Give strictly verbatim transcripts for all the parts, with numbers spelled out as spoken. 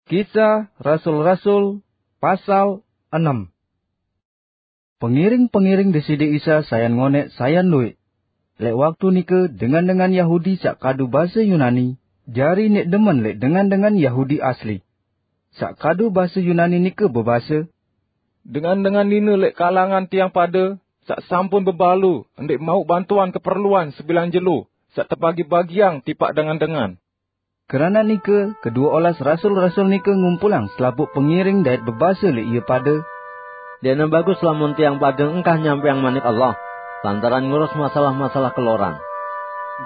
Kisah Rasul-Rasul, pasal enam. Pengiring-pengiring Deside Isa sayan ngonek sayan luik. Lek waktu nike dengan-dengan Yahudi sak kadu base Yunani, jari nek demen lek dengan-dengan Yahudi asli. Sak kadu base Yunani nike bebase, "Dengan-dengan nine lek kalangan tiang pade sak sampun bebalu, ndek mau bantuan keperluan sebilang jelo sak tebagi-bagiang tipak dengan-dengan." Kerana nike, kedua olas rasul-rasul nike ngumpulang selapuk pengiring dait bebase lek ie pade, "Ndekne bagus lamun tiang pade engkah nyampeang manik Allah, lantaran ngurus masalah-masalah keloran."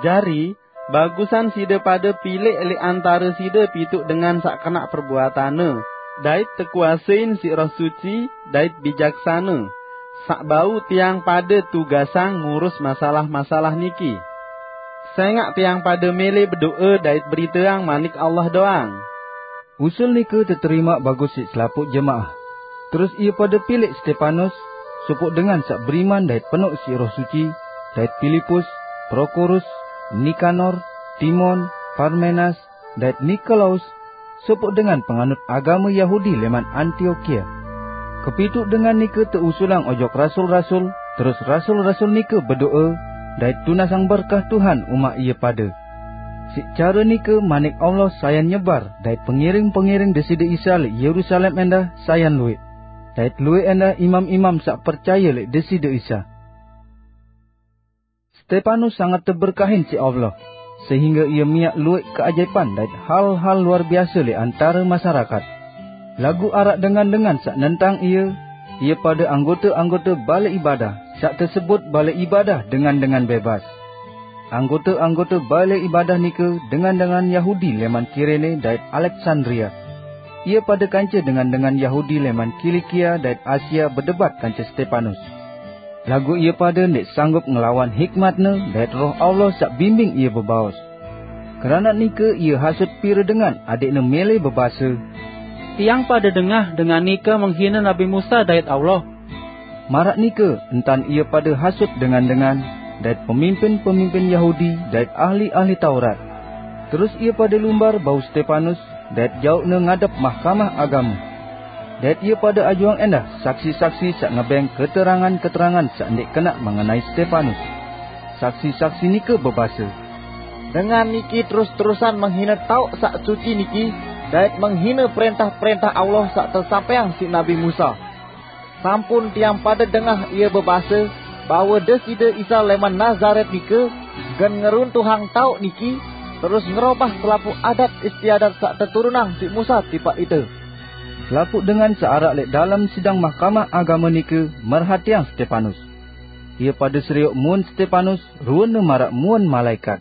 Jari, bagusan side pade pilek lek antare side pituk dengan sak kenak perbuatane, dait tekuasein siq Roh Suci, dait bijaksane, sak bau tiang pade tugasang ngurus masalah-masalah niki. Sengaq tiang pade mele bedoe dait beriteang manik Allah doang. Usul nike teterima bagus siq selapuk jemaah. Terus ie pade pilek Stepanus, sopoq dengan sak beriman dait penok siq Roh Suci, dait Pilipus, Prokorus, Nikanor, Timon, Parmenas, dait Nikolaus, sopoq dengan penganut agame Yahudi leman Antiokia. Kepituk dengan nike teusulang ojok rasul-rasul, terus rasul-rasul nike bedoe, dait tunasang berkah Tuhan umaq ie pade. Siq care nike manik Allah sayan nyebar, dait pengiring-pengiring Deside Isa lek Yerusalem endah sayan luik. Dait luik endah imam-imam sak percaye lek Deside Isa. Stepanus sangat teberkahin siq Allah, sehingge ie miaq luik keajaipan dait hal-hal luar biase lek antare masyarakat. Laguq araq dengan-dengan sak nentang ie, ie pade anggote-anggote bale ibadah, sak tesebut bale ibadah dengan-dengan bebas. Anggote-anggote bale ibadah nike dengan-dengan Yahudi leman Kirene dait Aleksandria. Ie pade kance dengan-dengan Yahudi leman Kilikia dait Asia bedebat kance Stepanus. Laguq ie pade ndeq sanggup ngelawan hikmatne dait Roh Allah sak bimbing ie bebaos. Kerana nike ie hasut pire dengan adeqne mele bebase, "Tiang pade dengah dengan nike menghine Nabi Musa dait Allah." Maraq nike entan ie pade hasut dengan-dengan, dait pemimpin-pemimpin Yahudi, dait ahli-ahli Taurat. Terus ie pade lumbar bau Stepanus, dait jauqne ngadep mahkamah agame. Dait ie pade ajuang endah saksi-saksi sak ngebeng keterangan-keterangan sak ndeq kenaq mengenai Stepanus. Saksi-saksi nike bebase, "Dengan niki terus-terusan menghine tauq sak suci niki, dait menghine perentah-perentah Allah sak tesampaiang siq Nabi Musa. Sampun tiang pade dengah ie bebase bahwe Deside Isa leman Nazaret nike gen ngeruntuhang tauq niki, terus ngerobah selapuq adat istiadat sak teturunang siq Musa tipaq ite." Selapuq dengan saq araq lek dalem sidang mahkamah agame nike merhatiang Stepanus. Ie pade serioq muun Stepanus, ruene maraq muun malaekat.